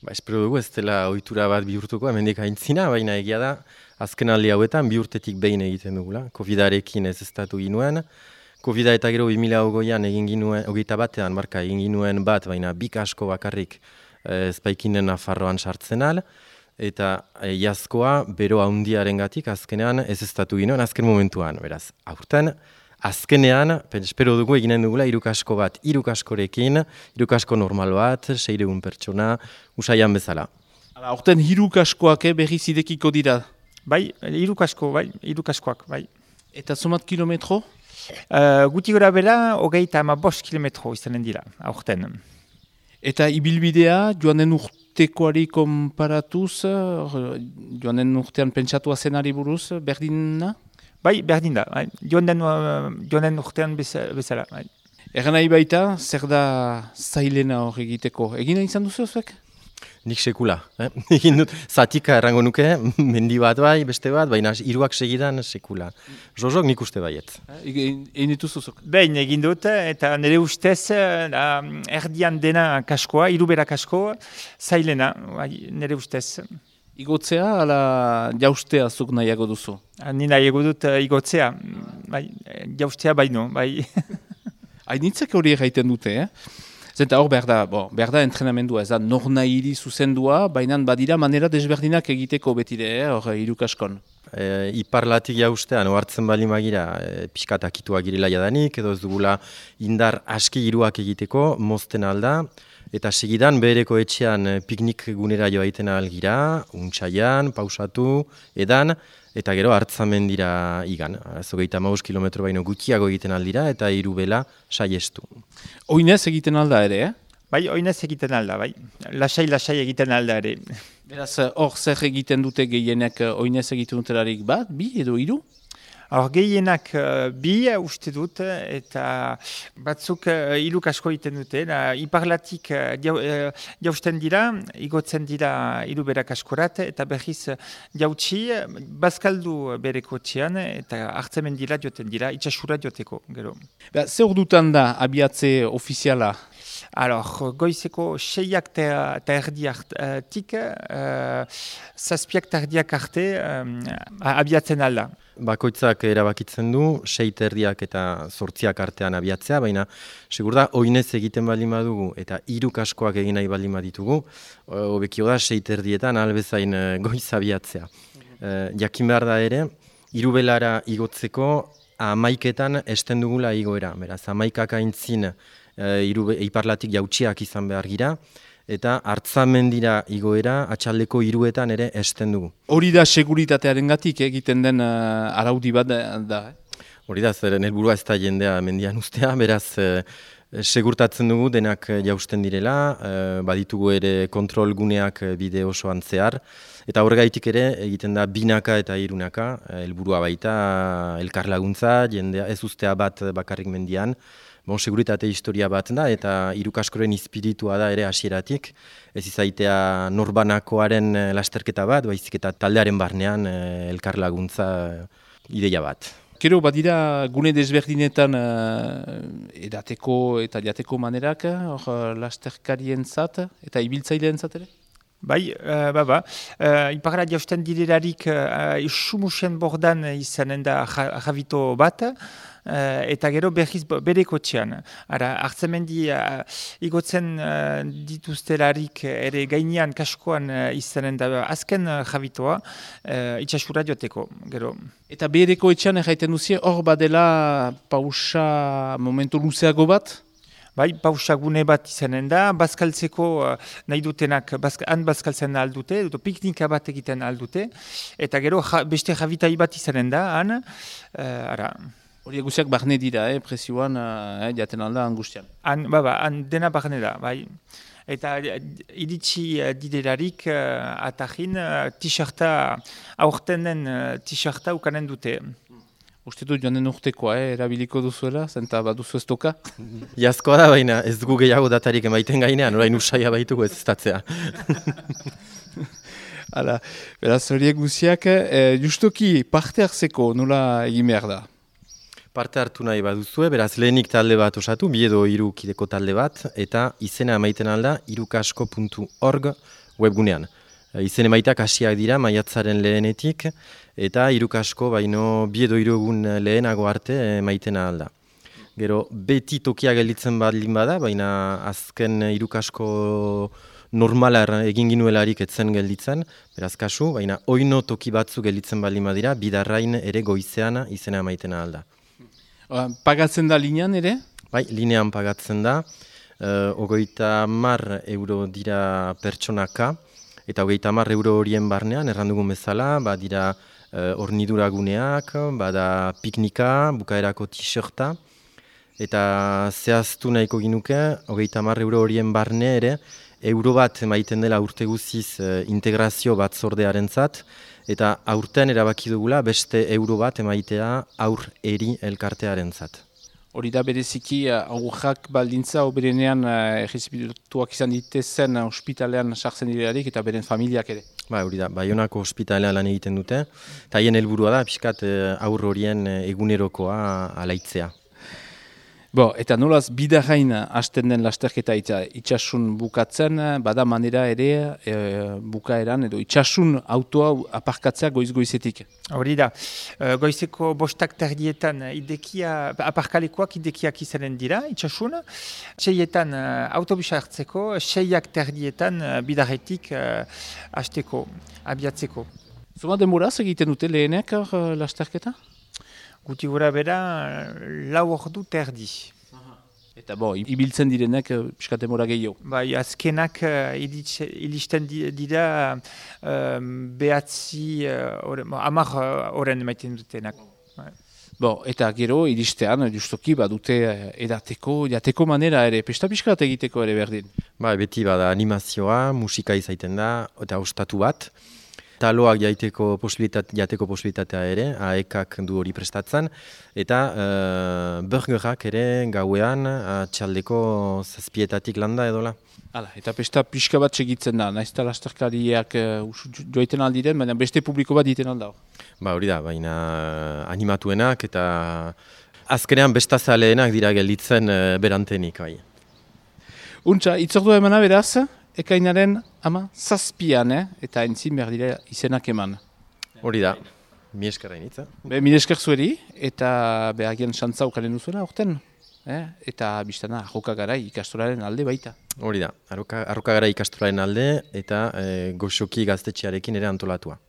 Espero dugu ez dela ohitura bat bihurtuko, hemendik aintzina, baina egia da, azken aldi hauetan bi urtetik behin egiten dugula. Covidarekin ez estatu ginuen, Covida eta gero 2020an egin ginuen, 21ean egin ginuen bat, baina bi kasko bakarrik ezpaikinen Nafarroan sartzen al, eta iazkoa bero handiarengatik azkenean ez estatu ginuen azken momentuan, beraz, aurten, azkenean, espero dugu eginen dugula hirukasko bat, hirukaskorekin, hirukasko normal bat, 600 pertsona, usaian bezala. Horten hirukaskoak berriz idekiko dira? Bai, hirukaskoak, bai. Eta zumat kilometro? Guti gora bera, 35 kilometro izanen dira, aurten. Eta ibilbidea, joan den urtekoari konparatuz, joan den urtean pentsatua zenari buruz, berdina? Bai, berdin da, bai. Joan den urtean bezala. Bai. Egan nahi baita, zer da zailena hor egiteko? Egin izan duzu zuek? Nik sekula. Egin dut, zatika errango nuke, mendi bat bai, beste bat, baina hiruak segidan sekula. Jozok nik uste baiet. Egin dituzuzuk? Behin egin dut, eta nire ustez, erdian dena kaskoa, hirubera kasko, zailena, bai, nire ustez. Igotzea, ala jaustea zuk nahiago duzu? Ni nahiago dut igotzea, bai, jaustea baino, bai. Hainitzak hori egiten dute, Zenta hor behar da entrenamendua, ez da nor nahiri zuzendua, baina badira manera desberdinak egiteko betide, hor hirukaskon. Iparlatik jaustean, ohartzen bali magira, pixkat akitua girela jadanik, edo ez dugula indar aski hiruak egiteko, mozten alda, eta segidan behereko etxean piknik gunera joa egiten algira, untsaian, pausatu, edan, eta gero hartzamendira igan. 35 kilometro baino gutxiago egiten aldira, eta hirubela saiestu. Oinez egiten alda ere, Bai, oinez egiten alda, bai. Lasai egiten alda ere. Beraz, hor zer egiten dute gehienek oinez egiten dutelarik bat, bi edo hiru? Hor gehienak bi uste dut, eta batzuk hirukasko egiten dute. Iparlatik jausten dira, igotzen dira hiruberak askorat, eta berriz jautsi, bazkaldu bereko txean, eta hartzemen dira joten dira, itxasura joteko, gero. Zer dutan da abiatze ofiziala? Goizeko 6ak eta erdiak zazpiak eta erdiak arte abiatzen alda. Bakoitzak erabakitzen du, 6 erdiak eta 8 artean abiatzea, baina segur da, oinez egiten baldin badugu eta hirukaskoak egin nahi baldin baditugu, hobekio da 6 erdietan albezain goiz abiatzea. Jakin behar da ere, hirubelara igotzeko 11etan esten dugula igoera, beraz 11ak aintzin iparlatik jautsiak izan behar gira, eta hartzamendira igoera atxaldeko 3etan ere esten dugu. Hori da seguritatearengatik egiten den araudi bat da? Hori da, zer helburua ez da jendea mendian ustea, beraz segurtatzen dugu denak jausten direla, baditugu ere kontrol guneak bide osoan zehar, eta horregaitik ere egiten da binaka eta hirunaka, helburua baita elkarlaguntza, jendea ez ustea bat bakarrik mendian, seguritate historia bat da, eta hirukaskoren espiritua da ere hasieratik. Ez izaitea norbanakoaren lasterketa bat, baizik eta taldearen barnean elkarlaguntza ideia bat. Gero, badira gune desberdinetan edateko eta jateko manerak, lasterkarientzat eta ibiltzaileentzat ere? Bai, iparra jausten direlarik sumusen bordan izanen da javito bat, eta gero berriz bereko txean. Hartzemendi igotzen dituztelarik ere gainean kaskoan izanen da azken javitoa itxasura joteko, gero. Eta bereko etxean erraiten duzie, hor badela pausa momentu luzeago bat? Bai, pausagune bat izanen da, bazkaltzeko nahi dutenak han bazkaltzen aldute, piknika bat egiten aldute, eta gero beste javitai bat izanen da, han, Hori guziak barne dira, presioan, jaten alda angustian. Han dena barne da, bai. Eta iritsi diderarik atajin t-shirta, aurten den t-shirta ukanen dute. Uste dut joan den urtekoa, erabiliko duzuela, zenta baduzu ez toka? Jazkoa da, baina ez dugu gehiago datarik emaiten gainean, orain usaia baitugu ez estatzea. Hala, beraz horiek guziak, justoki parte hartzeko nola egin behar da? Parte hartu nahi baduzue, beraz lehenik talde bat osatu, bi edo 3 kideko talde bat, eta izena emaiten alda hirukasko.org webgunean. Izen emaitak hasiak dira maiatzaren lehenetik, eta irukasko baino 2 edo 3 egun lehenago arte emaiten ahal da. Gero, beti tokia gelditzen baldin bada, baina azken irukasko normala egin ginuelarik etzen gelditzen, beraz kasu, baina oino toki batzu gelditzen baldin badira, bidarrain ere goizean izena emaiten ahal da. Pagatzen da linean ere? Bai, linean pagatzen da, 30 euro dira pertsonaka, eta 30 euro horien barnean, errandugun bezala, dira hornidura guneak, bada piknika, bukaerako t-shirta, eta zehaztu nahiko ginuke, 30 euro horien barne ere, euro bat emaiten dela urte guziz integrazio batzordearentzat, eta aurten erabaki dugula beste euro bat emaitea aur eri elkartearentzat. Hori da bereziki aurrak baldintza oberenean errezipituak izan ditezen ospitalean sartzen direlarik eta beren familiak ere. Hori da, Baionako ospitalean lan egiten dute, eta haien helburua da pixkat aur horien egunerokoa alaitzea. Eta nolaz bidarrain hasten den lasterketa itxasun bukatzen, bada manera ere bukaeran edo itxasun autoa aparkatzea goiz-goizetik. Hori da, goizeko 5:00 aparkalekuak idekiak izanen dira, itxasun. 6:00 autobusa hartzeko, 6:30 bidarretik hasteko, abiatzeko. Zuma denboraz egiten dute lehenek lasterketa? Guti gura bera, 4 ordu terdi. Eta ibiltzen direnek pixka denbora gehiago. Bai, azkenak iristen dira 10 oren emaiten dutenak. Eta gero iristean, justoki badute jateko manera ere, pesta pixka bat egiteko ere berdin. Beti bada animazioa, musika izaiten da, eta ostatu bat. Taloak jateko posibilitatea ere, AEKak du hori prestatzen, eta burgerak ere gauean txaldeko 7:00 landa edola. Eta pesta pixka bat segitzen da, nahiz eta lasterkariak joiten aldiren, baina beste publiko bat diten alda. Hori da, baina animatuenak eta azkenean bestazaleenak dira gelditzen berantenik. Untxa, itzordua emana beraz? Ekainaren 7:00, eta entzin behar dira izenak eman. Hori da, mi esker hainitza. Mi esker zueri, eta behagian xantza ukaren duzuela orten. Eta biztana, Arrokagarai ikastolaren alde baita. Hori da, Arrokagarai ikastolaren alde, eta Goxoki gaztetxearekin ere antolatua.